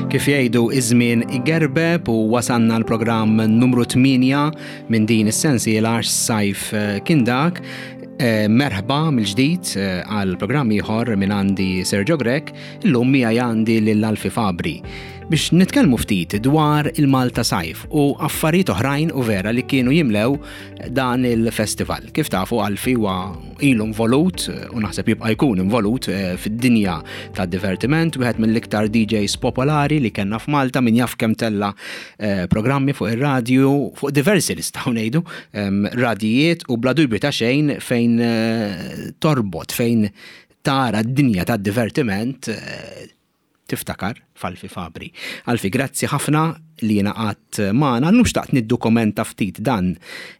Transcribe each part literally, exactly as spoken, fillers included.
Kif jgħidu, iż-żmien igerbeb u wasanna l-programm numru tmienja minn din is-sensiela Sajf eh, kien dak. Eh, merħba mill-ġdid eh, għal programm ieħor minn għandi Sergio Grech, illum miegħi għandi lil Alfie Fabri biex nitkellmu ftit dwar il-Malta Sajf u affarijiet oħrajn u vera li kienu jimlew dan il-festival. Kif tafu, Alfie huwa ilu involut u naħseb jibqa' jkun involut eh, fid-dinja tad divertiment, wieħed mill-iktar D Js popolari li kellna f'Malta, min jaf kemm tella eh, programmi fuq ir-radju, fuq diversi, nistgħu ngħidu, em, radijiet, u bla dubju ta' xejn fejn eh, torbot, fejn tara d-dinja tad divertiment, eh, tiftakar f'Alfie Fabri. Alfie, grazzi ħafna li ingħaqadt magħna. Llum xtaqt niddokumenta ftit dan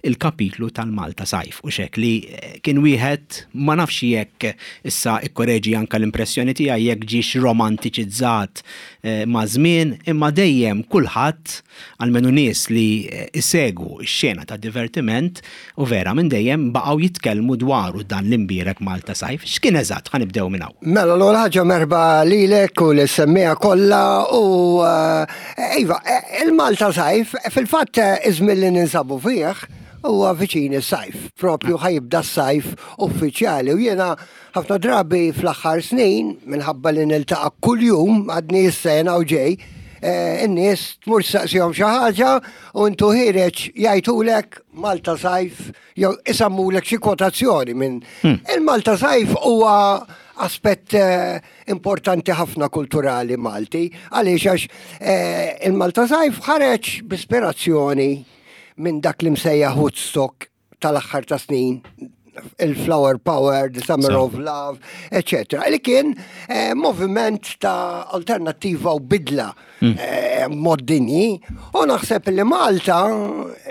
il-kapitlu tal-Malta Sajf u xek li eh, kien wieħed, ma nafx jekk, issa ikkoreġi anka l-impressjoni tiegħi, jekk ġiex romantiċizzat eh, ma' żmien, imma dejjem kulħadd, almenu nies li eh, isegwu x-xena ta' divertiment u vera minn dejjem baqgħu jitkellmu dwaru dan l-imbierek Malta Sajf. X'kien eżatt? Ħa nibdew minn hawn. Mela, l-ewwel ħaġa, merħba lilek u lis-semmiegħa kollha u eh, iva, eh, il-Malta Sajf, fil-fatt eh, iż-żmien li ninsabu fih huwa viċin is-sajf, propju ħa jibda s-sajf uffiċjali, u jiena ħafna drabi fl-aħħar snin, minħabba li niltaqa' kuljum, għadni s-sena u ġej, eh, in-nies tmur saqsihom xi ħaġa u intu ħiereġ jgħidulek Malta Sajf jew isemmulek xi kwotazzjoni minn il-Malta Sajf. Huwa aspett eh, importanti ħafna kulturali Malti. Għaliex? Għax eh, il-Malta Sajf ħareġ b'ispirazzjoni minn dak li msejjaħ Woodstock tal-aħħar ta' snin, il-Flower Power, the Summer So. of Love, eccetera. Li kien eh, moviment ta' alternattiva u bidla eh, mod dinji. U naħseb li Malta,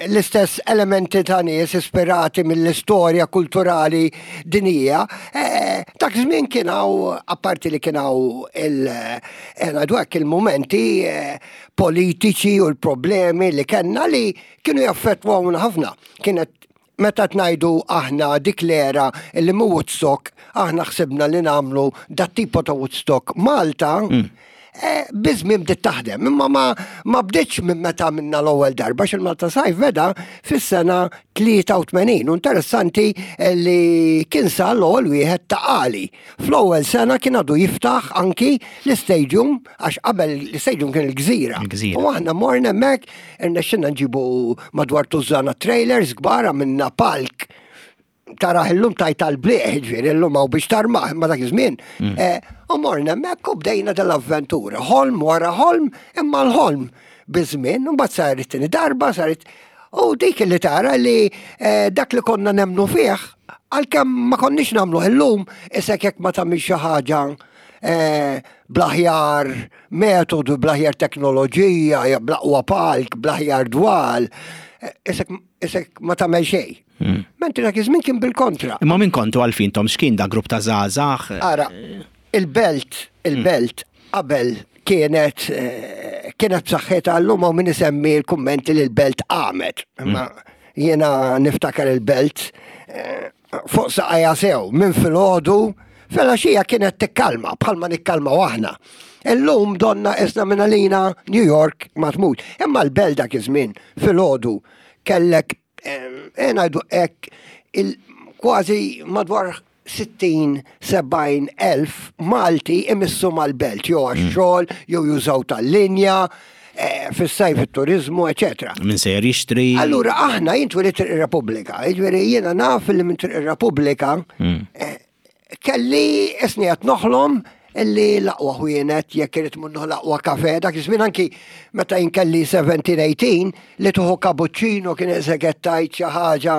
l-istess elementi ta' nies ispirati mill-istorja kulturali dinija, eh, dak żmien kien hawn, apparti li kien hawn il- eh, ngħidu hekk, il-momenti eh, politiċi u l-problemi li kellna li kienu jaffettwawna ħafna. Kienet meta tnajdu aħna dik l-era li mu Woodstock, aħna ħsibna li nagħmlu dat tipo ta' Woodstock Malta, eh, biż-żmien bdiet taħdem, imma ma, ma bdietx minn meta minna l-ewwel darba, xil-Malta Sajf beda fis-sena tlieta u tmenin. U interessanti li kien sa l-ewwel wieħed ta' Qali. Fl-ewwel sena kien għadu jiftaħ anki l-stadium, għax qabel l-stadium kien il-Gżira. Il-Gżira. U aħna morna hemmhekk, irnexxinna nġibu madwar tużana trailers kbar, minna palk taraħ illum taj tal-bliħ, ġifieri illum hawn biex tarmaħ, imma dak iż-żmien. Eh, U morna hemmhekk u bdejna dal-avventura. Ħolm wara ħolm, imma l-ħolm biż-żmien, u mbagħad saret tieni darba, saret. U dik li tara li eh, dak li konna nemnu fih, għalkemm ma konniex nagħmlu illum, isek jekk ma tagħmilx xi ħaġa eh, bl-aħjar metodu, bl-aħjar teknoloġija, ja, bl-aqwa palk, bl-aħjar dwal, eh, isek, isek ma tagħmel xejn. Mentri dak iż-żmien kien bil-kontra. Imma minn kontu għalfin tom, x'kien da grupp ta' żgħażagħ? Ara, il-belt, il-belt qabel kienet eh, kienet b'saħħitha, llum hawn min isemmi l-kummenti li l-belt qamet. Imma jiena niftakar il-belt eh, fuq saqajja sew minn filgħodu filgħaxija kienet tikkalma bħalma nikkalma aħna. Illum donna isna minn għalina New York ma tmut. Imma l-belt dak iż-żmien filgħodu kellek eh, ngħidu hekk il kważi madwar sittin sebgħin elf Malti imissu mal-belt, jew għax-xogħol, jew jużaw tal-linja, eh, fis-sajf it-turizmu, eccetera. Min sejjer jixtri. Allura aħna, jien twelidt ir-Repubblika, jiġifieri jiena naf li minn Triq ir-Repubblika eh, kelli isni qed noħlom illi l-aqwa ħwienet, jekk irid munnu l-aqwa kafe, dak iż-żmien anki meta jien kelli sbatax tmintax li tuħu cappuccino kien eżeket tajt xi ħaġa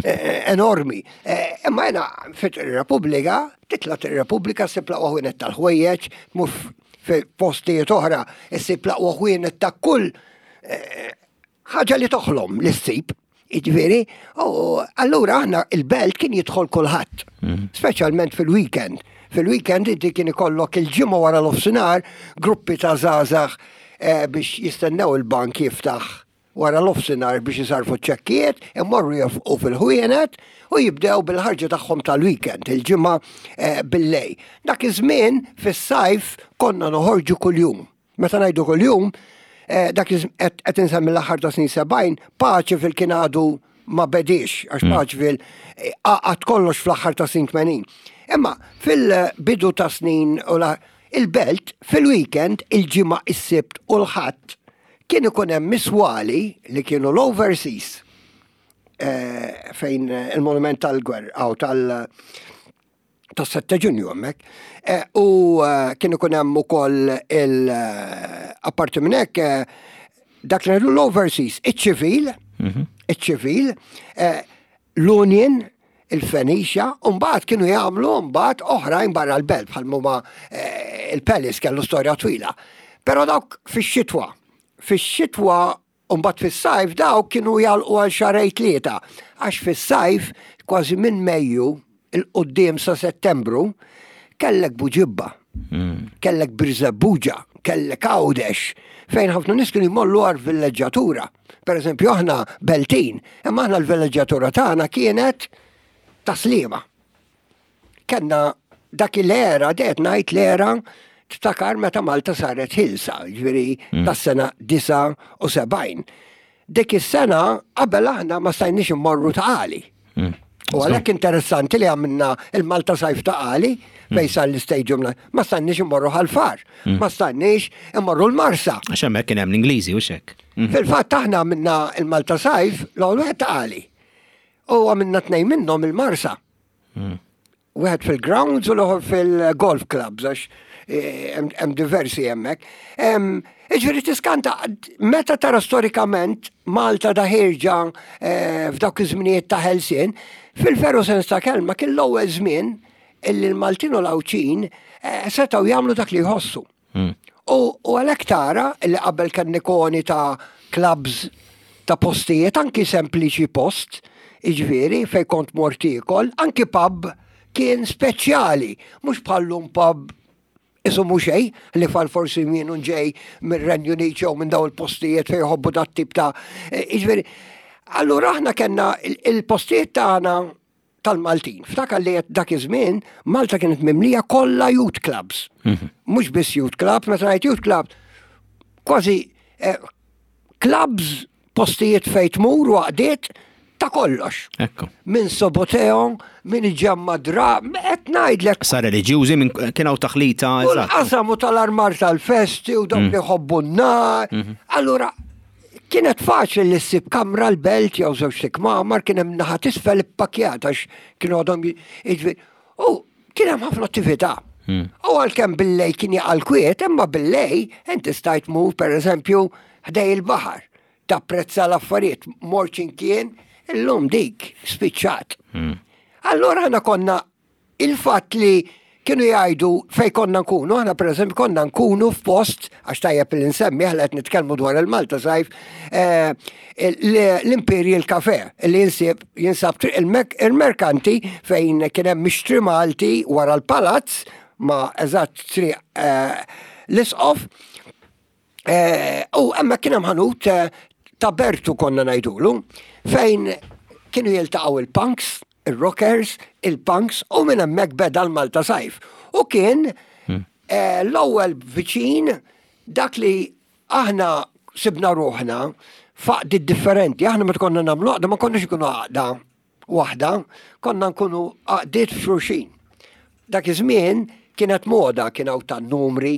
eh, enormi. Eh, Imma jena fit ir-Repubblika, titla' ir-Repubblika ssib l-aqwa ħwienet tal-ħwejjeġ, mur fi postijiet oħra issib l-aqwa ħwienet ta' kull eh, ħaġa li toħlom li ssib. Jiġifieri, u allura aħna il-belt kien jidħol kulħadd, speċjalment fil-weekend. Fil-weekend inti kien ikollok il-ġimgħa wara l-offsinar gruppi ta' żgħażagħ eh, biex jistennew il-bank jiftaħ wara l-offsinar biex jisarfu ċekkijiet, imorru jofqu fil-ħwienet u jibdew bil-ħarġa tagħhom tal-weekend, il-ġimgħa eh, billejl. Dak iż-żmien fis-sajf konna noħorġu kuljum. Meta ngħidu kuljum, eh, dak qed insemmi l-aħħar ta' snin sebgħin, Paceville kien għadu ma bediex, għax mm. Paceville eh, għad kollox fl-aħħar ta' snin tmenin. Imma fil-bidu ta' snin u il-belt fil-weekend, il-Ġimgħa, is-Sibt u l-Ħadd, kien ikun hemm miswali li kienu l-overseas eh, fejn il-monument tal-gwerra aw tal- tas-sette Ġunju hemmhekk. Eh, u eh, kien ikun hemm ukoll il apparti minn hekk dak li l-overseas, iċ-ċivil, mhm. iċ-ċivil, l-Union, il-Fenicia, u mbagħad kienu jagħmlu mbagħad oħrajn barra l-belt bħal huma il-Palace kellu storja twila. Però dawk fix-xitwa, fix-xitwa u mbagħad fis-sajf dawk kienu jagħlqu għal xahrejn tlieta, għax fis-sajf kważi minn Mejju 'l quddiem sa Settembru kellek Buġibba, hmm. kellek Birżebbuġa, kellek Għawdex, fejn ħafna nies kienu jmorru għal villeġġatura. Per eżempju, aħna Beltin, imma aħna l-villeġġatura tagħna kienet Tas-Sliema. Kellna dak l-era, det ngħid l-era tiftakar meta Malta saret ħielsa, ġifieri mm. tas-sena disgħa u sebgħin. Dik is-sena qabel aħna ma stajniex immorru Ta' Qali. Mm. U għalhekk interessanti li għamilna il-Malta Sajf Ta' Qali fejn sar l-stadium, ma stajniex immorru Ħal Far, mm. ma stajniex immorru l-Marsa. Għax hemmhekk kien hemm l-Ingliżi u xek. Mm. Fil-fatt aħna għamilna il-Malta Sajf l-ewwel wieħed Ta' Qali. U għamilna tnejn minnhom il-Marsa. Wieħed fil-grounds u l-oħor fil-golf clubs, għax eh, hemm diversi hemmhekk. Iġifieri tiskanta meta tara storikament Malta da ħierġa eh, f'dawk iż-żminijiet ta' ħelsien, fil-veru sens ta' kelma kien l-ewwel żmien illi l-Maltin u l-Għawdxin eh, setgħu jagħmlu dak li jħossu. Hmm. U għalhekk tara illi qabel kien ikoni ta' clubs, ta' postijiet, anki sempliċi post, iġifieri fej kont mort tiekol, anki pub kien speċjali, mhux bħallum pub isu mhux xejn, li fal forsi mienu ġej mir-Renju Unit jew minn daw il-postijiet fejn jħobbu dat tip ta' eh, iġifieri. Allura aħna kellna il-postijiet tagħna tal-Maltin. Ftakar li dak iż-żmien Malta kienet mimlija kollha youth clubs. Mhm. Mhux biss youth clubs, meta ngħid youth clubs, kważi eh, clubs, postijiet fejn tmur u għaqdiet ta' kollox. Ekku. Minn Soboteo, minn ġemma dra, qed ngħidlek. Sa reliġjużi minn kien hawn taħlita. U l-qasam u tal-armar tal-festi u dawk mm. li jħobbu n-nar. Mhm. Allura, kienet faċli li ssib kamra l-belt jew żewġ kmamar, kien hemm naħa t'isfel ippakjat għax kienu għadhom jiġri. U kien hemm ħafna attività. Mm. U għalkemm billejl kien jaqa' l-kwiet, imma billejl inti stajt mur pereżempju ħdej il-baħar, tapprezza l-affarijiet, mort kien illum dik spiċċat. Mm. Allora aħna konna il-fatt li kienu jgħidu fej konna nkunu, aħna per eżempju konna nkunu f'post, għax tajjeb li nsemmi, aħna qed nitkellmu dwar il-Malta Sajf, eh, l-Imperial Cafe, li jinsib jinsab triq il-Merkanti fejn kien hemm Mixtri Malti wara l-palazz ma eżatt triq eh, l-Isqof. Eh, u hemmhekk kien hemm ħanut ta' Bertu konna ngħidulu, fejn kienu jiltaqgħu il-punks, il-rockers, il-punks u minn hemmhekk beda l-Malta Sajf. U kien hmm. eh, l-ewwel viċin dak li aħna sibna ruħna f'għaqdiet differenti. Aħna meta konna nagħmlu għaqda ma konniex ikunu għaqda waħda, konna nkunu għaqdiet f'xulxin. Dak iż-żmien kienet moda, kien hawn tan-numri,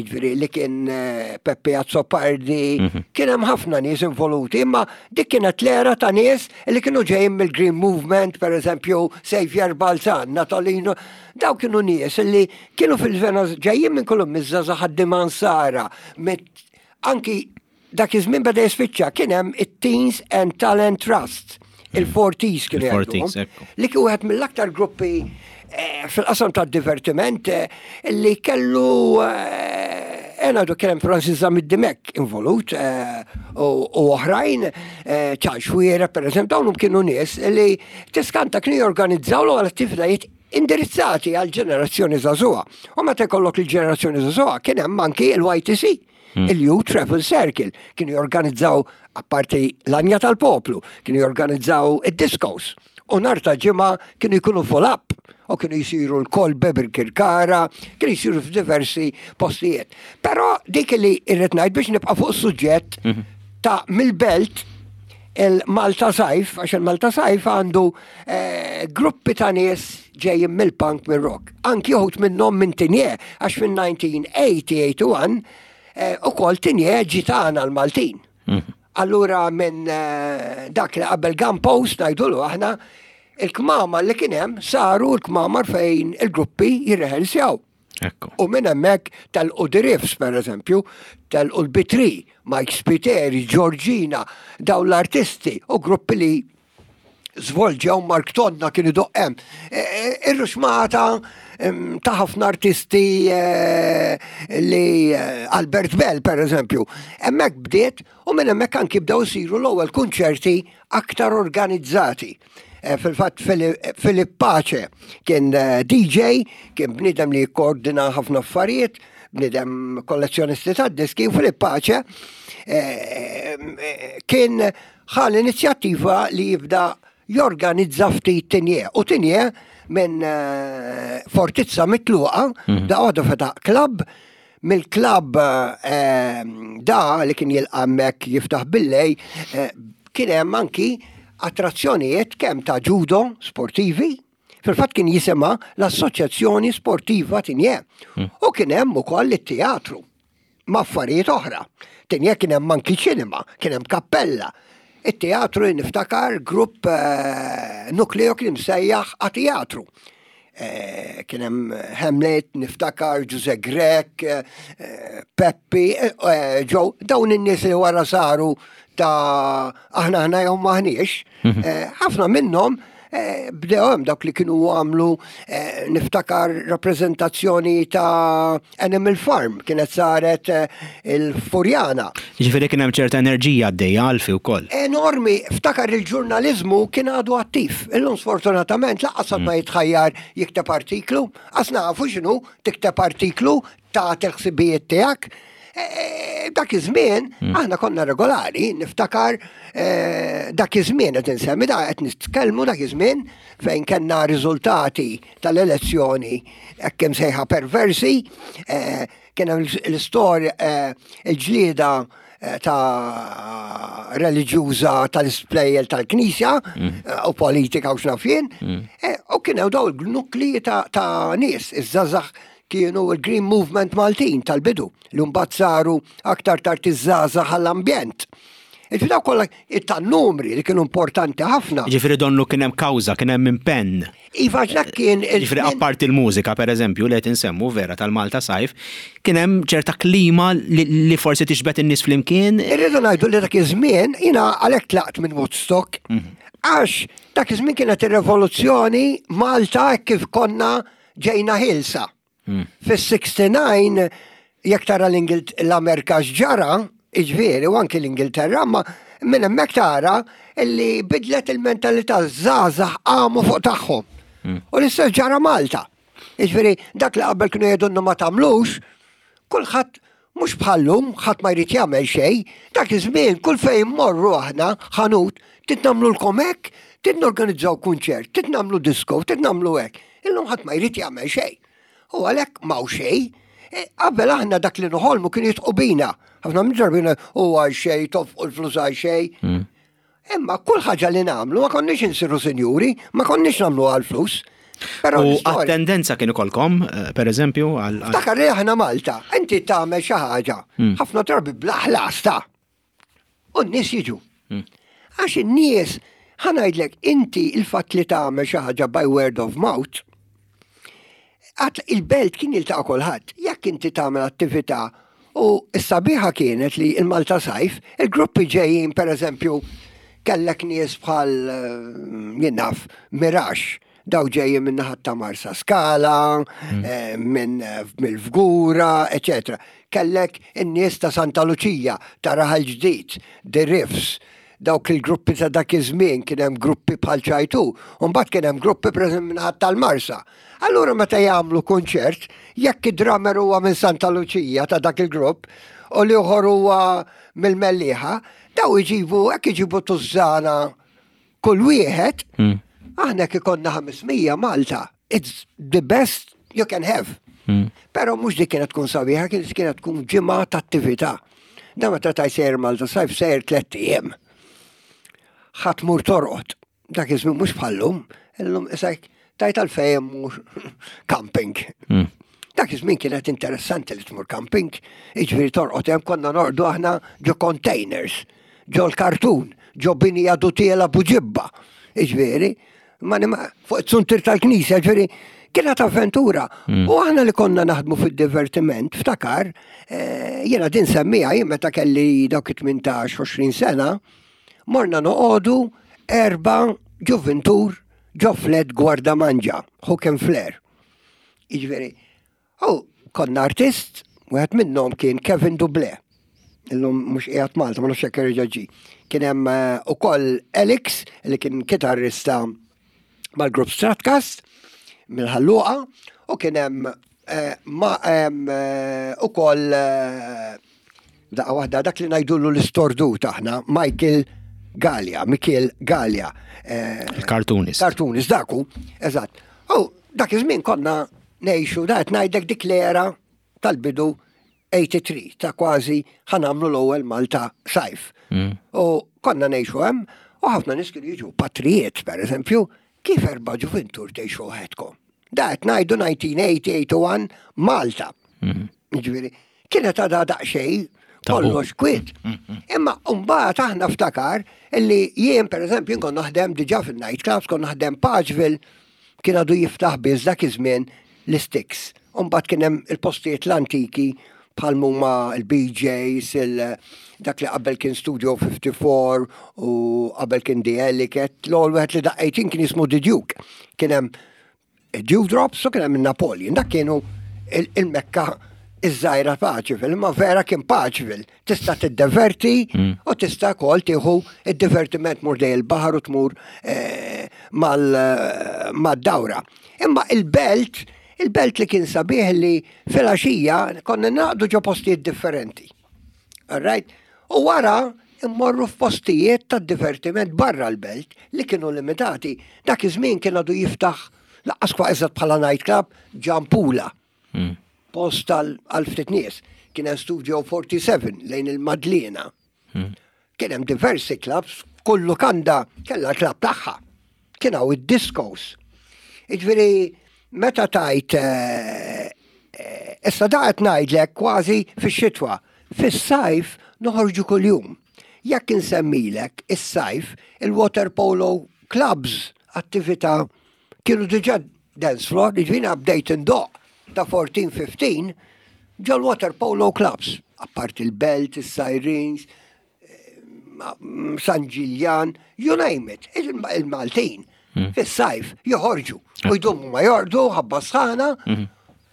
ġifieri li kien eh, Peppe Azzopardi, mhm. kien hemm ħafna nies involuti, imma dik kienet l-era ta' nies li kienu ġejjin mill-Green Movement, per eżempju, Xavier Balzan, Natalino, daw kienu nies li kienu fil-vena ġejjin minn kullum miż-żgħażagħ ħaddiema Nsara, anki dak iż-żmien beda jispiċċa kien hemm it-Teens and Talent Trust, il-Forties kienu jgħidu. Li kien wieħed mill-aktar gruppi eh, fil-qasam ta' divertiment eh, li kellu ena du kien hemm Francis Zammit Dimech involut u oħrajn, Charles Xuereb, per eżempju, dawn kienu nies li tiskanta kienu jorganizzaw l attivitajiet indirizzati għal ġenerazzjoni żagħżugħa. U meta jkollok il-ġenerazzjoni żagħżugħa kien hemm anki il-Y T C, hmm. il-Youth Travel Circle, kienu jorganizzaw apparti l-Anja tal-Poplu, kienu jorganizzaw id-discos. U nhar ta' Ġimgħa kienu jkunu full up. U kienu jisiru l-Kolbe Birkirkara, kienu jisiru f'diversi postijiet. Però dik li irrid ngħid biex nibqa' fuq suġġett mhm. ta' mill-belt il-Malta Sajf, għax il-Malta Sajf għandu eh, gruppi ta' nies ġejjin mill-punk, mill-rock. Anki uħud minnhom minn Tigné, għax fin-elf disa' mija u wieħed u tmenin eh, ukoll Tigné ġitana l-Maltin. Mhm. Allura minn eh, dak li qabel Gun Post ngħidulu aħna, il-kmamar li kien hemm saru l-kmamar fejn il-gruppi jirrehearsjaw. U minn hemmhekk telqu The Riffs, per eżempju, telqu l-Bitri, Mike Spiteri, Georgina, daw l-artisti u gruppi li zvolġew, Mark Tonna kienu doqqem. E, e, ir-ruxmata ta' ħafna artisti e, li Albert Bell, per eżempju. Hemmhekk bdiet u minn hemmhekk anki bdew isiru l-ewwel kunċerti aktar organizzati. Fil-fatt Filip Pace kien D J, kien bnidem li koordina ħafna affarijiet, bnidem kollezzjonisti ta' diski, u Filip Pace kien ħa l-inizjattiva li jibda jorganizza ftit Tigné. U Tigné minn eh, fortizza mitluqa, mm -hmm. da għadu fetaħ club, mill-club eh, da li kien jilqammek jiftaħ billejl, eh, kien hemm anki attrazzjonijiet kemm ta' judo sportivi, fil-fatt kien jisimha l-Assoċjazzjoni Sportiva Tigné. Mm. U kien hemm ukoll it-teatru ma' affarijiet oħra. Tigné kien hemm anki ċinema, kien hemm kappella. Il-teatru, niftakar grupp uh, nukleo kien msejjaħ a teatru. Eh, kien hemm Hamlet, niftakar Ġuże Grek, eh, Peppi, Joe, dawn in-nies li wara saru ta' Aħna Aħna Jew Maħniex, mhm. ħafna minnhom bdew hemm, dawk li kienu għamlu, niftakar rappreżentazzjoni ta' Animal Farm kienet saret il-Furjana. Ġifieri kien hemm ċerta enerġija għaddejja għalfi wkoll. Enormi, ftakar il-ġurnalizmu kien għadu attiv. Illum sfortunatament lanqas mm. ma jitħajjar jikteb artiklu, għax nafu x'inhu tikteb artiklu ta' ħsibijiet tiegħek. E, e, dak iż-żmien mm. aħna konna regolari, niftakar e, dak iż-żmien qed insemmi da qed nitkellmu dak iż-żmien fejn kellna riżultati tal-elezzjoni hekk sejħa perversi, kien hemm l-istorja, il-ġlieda ta' reliġjuża tal-isplejjel tal-Knisja mm. u politika u x'naf jien, mm. u kien hemm daw il-nukli ta' nies, iż-żgħażagħ kienu il-Green Movement Maltin tal-bidu, li mbagħad saru aktar tard iż-żgħażagħ għall-ambjent. Ġifieri daw kollha tan-numri li kienu importanti ħafna. Ġifieri donnu kien hemm kawża, kien hemm impenn. Iva, dak kien. Ġifieri apparti il-mużika, per eżempju, li qed insemmu vera tal-Malta Sajf, kien hemm ċerta klima li forsi tixbet in-nies flimkien. Irridu ngħidu li dak iż-żmien jiena għalhekk tlaqt minn Woodstock, mhm. għax dak iż-żmien kienet ir-revoluzzjoni Malta kif konna ġejna ħilsa. Hmm. Fis-sixty-nine, jekk tara l-Amerika x'ġara, iġifieri, u anki l-Ingilterra, ma minn hemmhekk tara illi bidlet il-mentalità, żgħażagħ qamu fuq tagħhom. Hmm. U l-istess ġara Malta. Iġifieri, dak li qabel kienu jgħidulna ma tagħmlux, kulħadd, mhux bħallum, ħadd ma jrid jagħmel xejn, dak iż-żmien kull fejn morru aħna ħanut, trid nagħmlulkom hekk, trid norganizzaw kunċert, trid nagħmlu disco, trid nagħmlu hekk. Illum ħadd ma jrid jagħmel xejn. U għalhekk m'hawn xejn. E, qabel aħna dak li noħolmu kien jidħqu bina. Ħafna minn ġarbina u għal xejn, tonfqu l-flus għal xejn. Mm. Imma kull ħaġa li nagħmlu, ma konniex insiru sinjuri, ma konniex nagħmlu għal flus. Però U attendenza kien ikolkom, eh, per eżempju, għal. Ftakar li aħna Malta, inti tagħmel xi ħaġa, mm. ħafna drabi bla ħlas ta' u n-nies jiġu. Mm. Għax in-nies, ħa ngħidlek, inti il-fatt li tagħmel xi ħaġa by word of mouth, għat il-belt kien jiltaqa' kulħadd. Jekk inti tagħmel attività, u s-sabiħa kienet li il-Malta Sajf, il-gruppi ġejjin, per eżempju, kellek nies bħal eh, jien naf Mirax, daw ġejjin minn naħat ta' Marsa Skala, mm. eh, minn eh, mill-Fgura, eccetera. Kellek in-nies ta' Santa Lucia, ta' Raħal Ġdid, The Riffs, dawk il-gruppi ta' dak iż-żmien, kien hemm gruppi bħal ċajtu, u mbagħad kien hemm gruppi pereżempju minn tal-Marsa. Allura meta jagħmlu kunċert, jekk id-drummer huwa minn Santa Lucia ta' dak il-grupp u l-ieħor huwa mill-Mellieħa, daw iġibu hekk, iġibu tużżana kull wieħed, hmm. aħna kif konna ħames mija Malta, It's the best you can have. Mm. Pero mhux dik kienet tkun sabiħa, kienet kienet tkun ġimgħa ta' attività. Da meta taj sejjer Malta Sajf, sejjer tlett ijiem. Ħa tmur torqod. Dak iż-żmien mhux bħallum, illum isek tajt għalfejn mhux camping. Mm. Dak iż-żmien kienet interessanti li tmur camping, jiġifieri torqod hemm. Konna norqdu aħna ġo containers, ġo l-kartun, ġo bini għadu tiela Buġibba. Jiġifieri, ma nima- fuq it-suntir tal-knisja, jiġifieri kienet avventura. U aħna li konna naħdmu fid-divertiment, ftakar, eh, jiena din semmija, jien meta kelli dawk tmintax għoxrin sena, morna noqogħdu erba' ġuvintur ġo flat Gwardamanġa, Hook and Flare. Jiġifieri, u konna artist, wieħed minnhom kien Kevin Duble. Illum mhux qiegħed Malta, ma nafx jekk erġa' ġie. Kien hemm eh, ukoll Alex, li kien kitarrista mal-grupp Stratcast mill-Ħal Luqa, u kien hemm eh, ma hemm eh, ukoll eh, daqqa waħda, dak li ngħidulu l-istordut aħna, Michael Gallia, Michael Gallia. eh, Il-cartoonist. Cartoonist, daku, eżatt. U dak iż-żmien konna ngħixu, da qed ngħidlek dik l-era tal-bidu tmienja u tmenin, ta' kważi ħa nagħmlu l-ewwel Malta Sajf. Mm. U konna ngħixu hemm u ħafna nies kienu jiġu patrijiet, per eżempju, kif erba' ġuvintur tgħixu waħedkom? Da qed ngħidu elf disa' mija tmeninta, tmienja u tmenin Malta. Mm. Jiġifieri, kienet għadha daqsxejn Tabu. kollox kwiet. Imma mbagħad aħna ftakar illi jien, per eżempju, kont naħdem diġà fil-night clubs, kont naħdem Paceville, kien għadu jiftaħ biss dak iż-żmien l-Sticks. Mbagħad kien hemm il-postijiet l-antiki bħal huma il-B Js, il dak li qabel kien Studio ħamsa u ħamsin u qabel kien The Ellicat, l-ewwel wieħed li daqqejtin kien jismu The Duke. Kien hemm Dewdrops u kien hemm il-Napoleon. Dak kienu il- il-Mekka iż-żgħira Paceville, imma vera kien Paceville. Tista' tiddeverti u tista' wkoll tieħu id-divertiment, mur dej il-baħar u tmur eh, mal- mad-dawra. Imma il-belt, il-belt li kien sabiħ li fil-għaxija konna naqdu ġo postijiet differenti. All right? U wara immorru f'postijiet ta' divertiment barra l-belt li kienu limitati. Dak iż-żmien kien għadu jiftaħ lanqas kwa eżatt bħala nightclub Ġampula. Mm. Post għal għal ftit nies. Kien hemm Studio erbgħa u sebgħin lejn il-Madliena. Mm. Kien hemm diversi clubs, kull lukanda kellha club tagħha. Kien hawn id-discos. Jiġifieri, meta tajt eh, eh, issa da qed ngħidlek kważi fix-xitwa. Fis-sajf noħorġu kuljum. Jekk insemmilek is-sajf, il-water polo clubs, attività, kienu diġà dance floor, jiġifieri bdejt indoqq ta' erbatax ħmistax ġol water polo clubs, apart il-Belt, il-Sirens, San Ġiljan, you name it, il- il-Maltin, fis-sajf joħorġu u jdumu ma jorqdu ħabba sħana,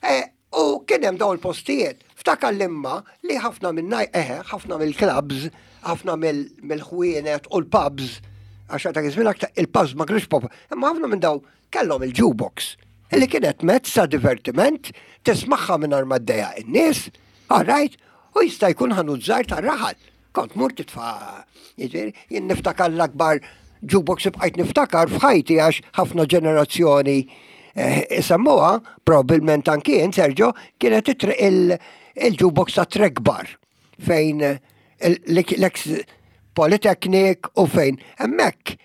eh, u kien hemm dawn il-postijiet. Ftakar l-imma li ħafna minn eħe, ħafna mill-clubs, ħafna mill- mill-ħwienet u l-pubs, għax ta' iż-żmien aktar il-pubs ma kienux pop, imma ħafna minn daw kellhom il-jukebox, illi kienet mezz ta' divertiment, tismagħha minn ma ddejjaq in-nies, all right, u jista' jkun ħanut żgħir tar-raħal. Kont mur titfa', jiġifieri, jien niftakar l-akbar jukebox bqajt niftakar f'ħajti, għax ħafna ġenerazzjoni eh, isemmuha, probabbilment anki jien, Sergio, kienet it- il- il-jukebox ta' Trek Bar fejn il- l-ex Polytechnic u fejn hemmhekk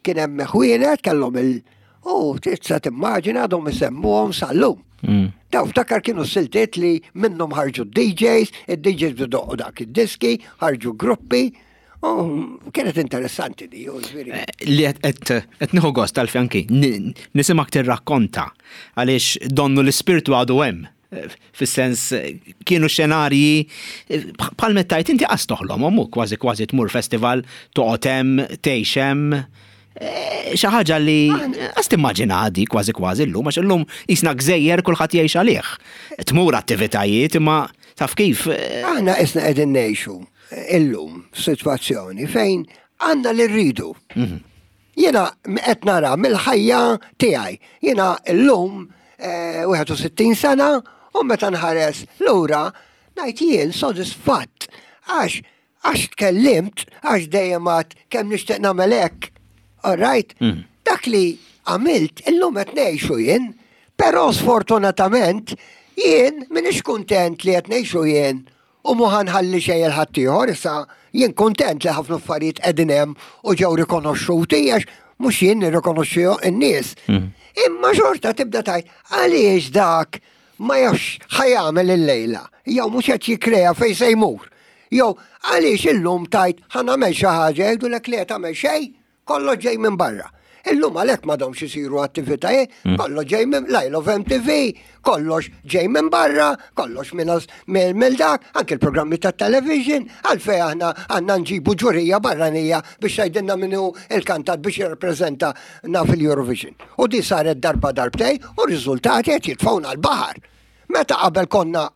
kien hemm ħwienet kellhom il- u tista' timmaġina għadhom isemmuhom sal-lum. Mm. Daw ftakar kienu siltiet li minnhom ħarġu D Js, id-D Js bidoqqu dak id-diski, ħarġu gruppi, u kienet interessanti di, u ġifieri. Eh, Li qed qed nieħu gost tal-fjanki, nisimak tirrakkonta għaliex donnu l-ispirtu għadu hemm. Eh, Fis-sens eh, kienu xenarji eh, bħal mettajt inti qas toħlom, ommu kważi kważi tmur festival, toqgħod hemm, tgħix hemm. Eh, Xi ħaġa li qas timmaġina di kważi kważi llum, għax illum jisna gżejjer, kulħadd jgħix għalih. Tmur attivitajiet imma taf kif eh, Aħna isna qegħdin ngħixu illum f'sitwazzjoni fejn għandna li rridu. Jiena qed nara mill-ħajja tiegħi. Jiena llum eh, wieħed u sittin sena u meta nħares lura ngħid jien sodisfatt għax għax tkellimt, għax dejjem għad kemm nixtieq nagħmel hekk. All right? Mm. Dak li għamilt illum qed ngħixu jien, Però sfortunatament jien m'iniex kuntent li qed ngħixu jien u mhu ħa nħalli xejn lil ħaddieħor, issa jien kuntent li ħafna affarijiet qegħdin hemm u ġew rikonoxxuti għax mhux jien nirrikonoxxihom in-nies. Mm. Imma xorta tibda tgħid għaliex dak ma jafx ħa jagħmel il-lejla, jew mhux qed jikkrea fejn se jmur. Jew għaliex illum tgħid ħa nagħmel xi ħaġa jgħidulek li tagħmel xejn, kollox ġej minn barra. Illum għalhekk m'għadhomx isiru attivitajiet, mm. kollox ġej minn Lyle of M T V, kollox ġej minn barra, kollox minn mill dak, anke l-programmi ta' television, għalfej aħna għandna nġibu ġurija barranija biex tgħidilna min hu il-kantant biex jirrappreżentana fil-Eurovision. U di saret darba darbtejn u r-riżultati qed jitfgħuna l-baħar. Meta qabel konna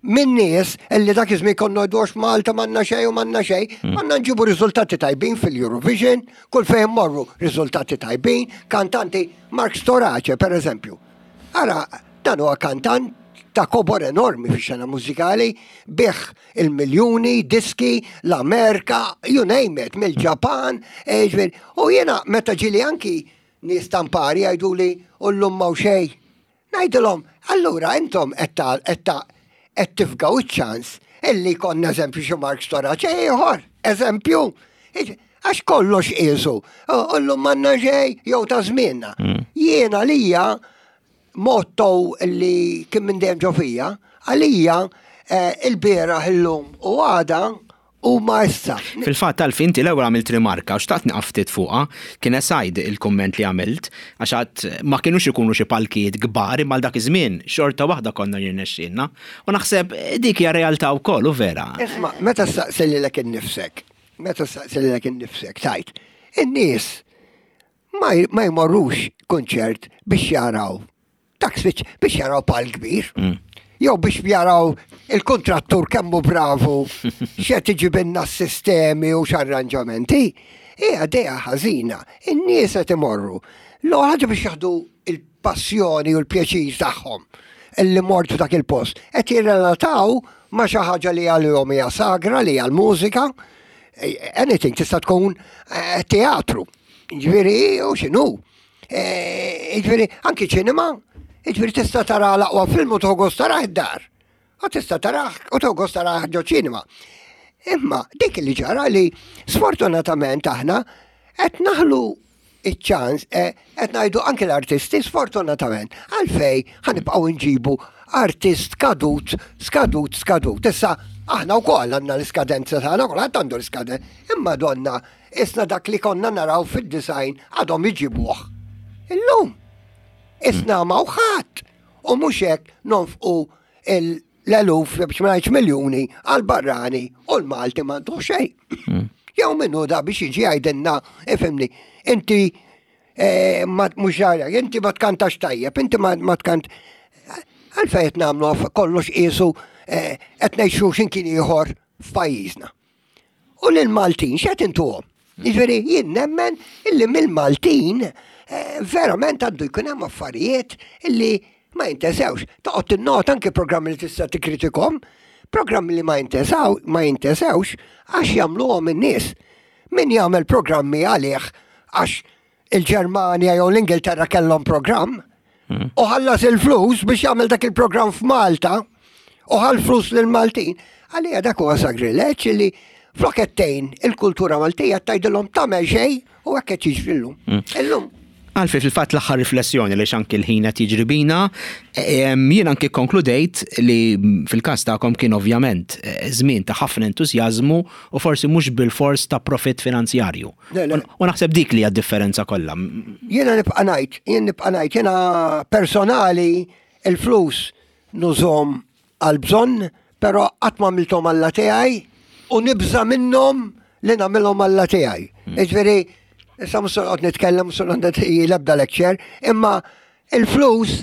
minn nies illi dak iż-żmien konna ngħidu Malta m'għandna xejn u m'għandna xejn, mm. konna nġibu riżultati tajbin fil-Eurovision, kull fejn morru riżultati tajbin, kantanti Mark Storace per eżempju. Ara, dan huwa kantant ta' kobor enormi fi xena mużikali, biegħ il-miljuni, diski, l-Amerika, you name it, mill-Ġapan, eh, u jena meta ġieli anki nies tampari jgħidu li u llum m'hawn xejn. Ngħidilhom, allura intom qed qed tifgaw iċ-ċans illi konna eżempju xi Mark Storace ieħor, eżempju, għax kollox qisu, u llum m'għandna xejn jew ta' żmienna. Mm. Jiena lija motto li kien minn dejjem ġo fija, għalija eh, il-bieraħ illum u għada u ma issa. Fil-fatt tal inti l-ewwel għamilt rimarka u xtaqt nieqaf ftit fuqha, kien esajd il-komment li għamilt, għax għad ma kienux ikunu xi palkijiet kbar imma dak iż-żmien xorta waħda konna jirnexxielna. U naħseb dik hija realtà wkoll u vera. Isma', meta staqsi lilek innifsek, meta staqsi lilek innifsek, tgħid, in-nies ma ma jmorrux kunċert biex jaraw dak switch biex jaraw pal kbir. Mm. Jew biex jaraw il-kontrattur kemmu bravu x'qed iġibilna s-sistemi u x'arranġamenti. Hija idea ħażina. In-nies qed imorru. L-ewwel ħaġa biex jaħdu il-passjoni u l-pjaċir tagħhom illi mort f'dak il-post. Qed jirrelataw ma' xi ħaġa li għalihom hija sagra li hija l-mużika, anything tista' tkun eh, teatru. Ġifieri u x'inhu. Eh, Ġifieri anki ċinema, ġifieri tista' tara l-aqwa film u toħgos tarah id-dar. U tista' tarah u toħgos tarah ġo ċinema. Imma dik li ġara li sfortunatament aħna qed naħlu iċ-ċans, eh, qed ngħidu anke l-artisti sfortunatament għalfej ħa nibqgħu nġibu artist skadut, skadut, skadut. Issa aħna wkoll għandna l-iskadenza tagħna, kulħadd għandu l-iskadenza. Imma donna isna dak li konna naraw fid-disgħin għadhom iġibuh. Illum, isna ma ħadd u mhux hekk nonfqu l-eluf biex ma ngħidx miljuni għal barrani u l-Malti m'għandu xejn. Jew minnu da biex jiġi jgħidilna, ifhimni, inti eh, ma mhux għalek, inti ma tkantax tajjeb, inti ma ma tkant. Għalfejn qed nagħmlu aff- kollox qisu eh, qed ngħixu x'imkien ieħor f'pajjiżna. U lill-Maltin x'qed intuhom? Jiġifieri jien nemmen illi mill-Maltin eh, verament għandu jkun hemm affarijiet illi ma jintesewx. Toqgħod tinnota anke programmi li tista' tikkritikhom, programmi li ma jintesaw, ma jintesewx għax jagħmluhom in-nies. Min jagħmel programmi għalih għax il-Ġermanja jew l-Ingilterra kellhom programm u ħallas il-flus biex jagħmel dak il-programm f'Malta u ħa l-flus lill-Maltin. Għalija dak huwa sagrileġġ li flok qed tgħin il-kultura Maltija tgħidilhom tagħmel xejn u hekk qed jiġri llum. Illum Għalfi fil-fatt l-aħħar riflessjoni li anki l-ħin qed jiġri bina, em, jien anki konkludejt li fil-każ tagħkom kien ovvjament eh, żmien ta' ħafna entużjażmu u forsi mhux bil-fors ta' profit finanzjarju. Le, le. U naħseb dik li hija differenza kollha. Jiena nibqa' ngħid, jien nibqa' ngħid, jiena personali il-flus nużahom għal bżonn, però qatt ma għamilthom alla tiegħi u nibża minnhom li nagħmilhom alla tiegħi. Jiġifieri, issa mhux se noqgħod nitkellem, mhux se noqgħod l-ebda lecture, imma il-flus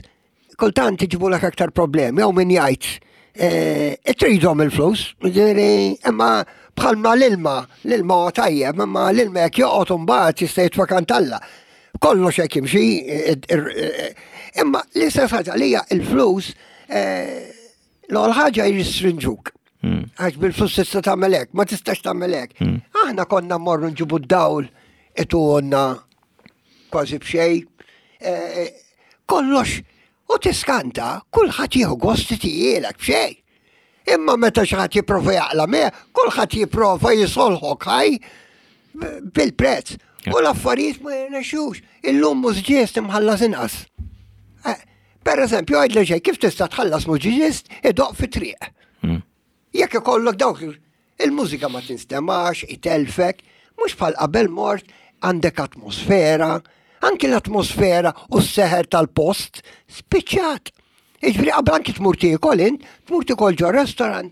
kultant iġibulek aktar problemi, jew min jgħid eh, tridhom il-flus, jiġifieri, imma bħalma l-ilma, l-ilma huwa tajjeb, imma l-ilma jekk joqgħod imbagħad jista' jitfa' kantalla. Kollox hekk jimxi, eh, eh, imma l-istess ħaġa li hija il-flus eh, l-ewwel ħaġa jirrestrinġuk. Għax bil-flus tista' tagħmel hekk, ma tistax tagħmel hekk. Aħna konna mmorru nġibu d-dawl ituhomlna kważi b'xejn. Eh, Kollox U tiskanta, kulħadd jieħu gost tijielek b'xejn. Imma meta xi ħadd jipprova jaqla me, kulħadd jipprova jisolħok ħaj bil-prezz. U l-affarijiet ma jirnexxux. Illum mużiċist imħallas inqas. Eh, per eżempju, għidli xejn, kif tista' tħallas mużiċist idoqq fi triq? Mm. Jekk ikollok dawk il-mużika ma tinstemax, itelfek, mhux bħal qabel mort għandek atmosfera, anki l-atmosfera u s-seħer tal-post spiċċat. Jiġifieri qabel anki tmur tiekol int, tmur tiekol ġo restaurant.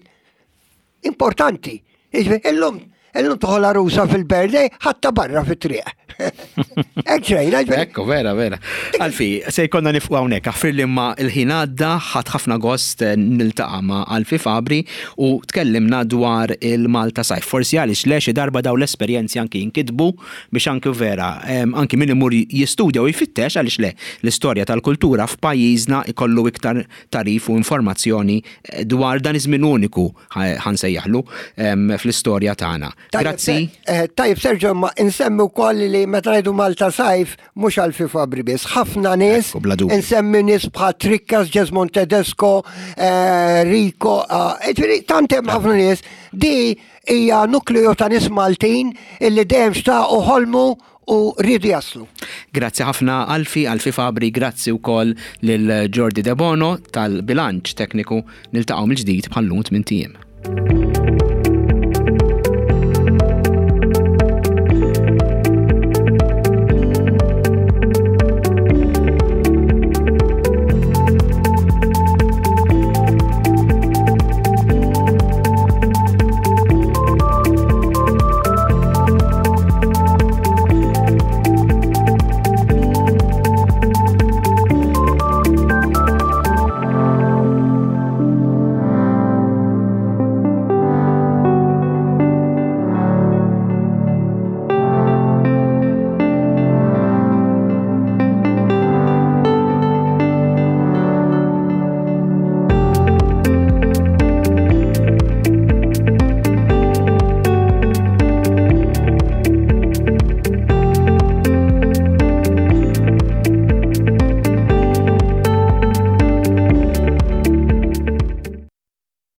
Importanti. Jiġifieri illum illum toħol għarusa fil-birthday ħatta barra fit-triq. Hekk ġrejna, jiġifieri. Ekku, vera, vera. Alfie, se jkollna nieqfu hawnhekk, aħfir li ma il-ħin għadda, ħadt ħafna gost eh, niltaqa' ma' Alfie Fabri u tkellimna dwar il-Malta Sajf. Forsi għaliex le xi darba daw l-esperjenzi anki jinkitbu biex anki vera, em, anki min imur jistudja u jfittex għaliex le l-istorja tal-kultura f'pajjiżna ikollu iktar tagħrif u informazzjoni eh, dwar dan iż-żmien uniku ħa nsejjaħlu em, fl-istorja tagħna. Tajjeb, Grazzi. eh, Tajjeb, Sergio, ma insemmi wkoll li meta ngħidu Malta Sajf mhux Alfie Fabri biss, ħafna nies, Ekku, bla dubju. insemmi nies bħal Trikkas, Jesmond Tedesco, eh, Rico, eh, jiġifieri tant hemm ħafna nies, di hija nukleu ta' nies Maltin illi dejjem xtaqu ħolmu u rridu jaslu. Grazzi ħafna Alfie, Alfie Fabri, grazzi wkoll lil Jordi De Bono tal-bilanċ tekniku niltaqgħu mill-ġdid bħal-lum tmint ijiem.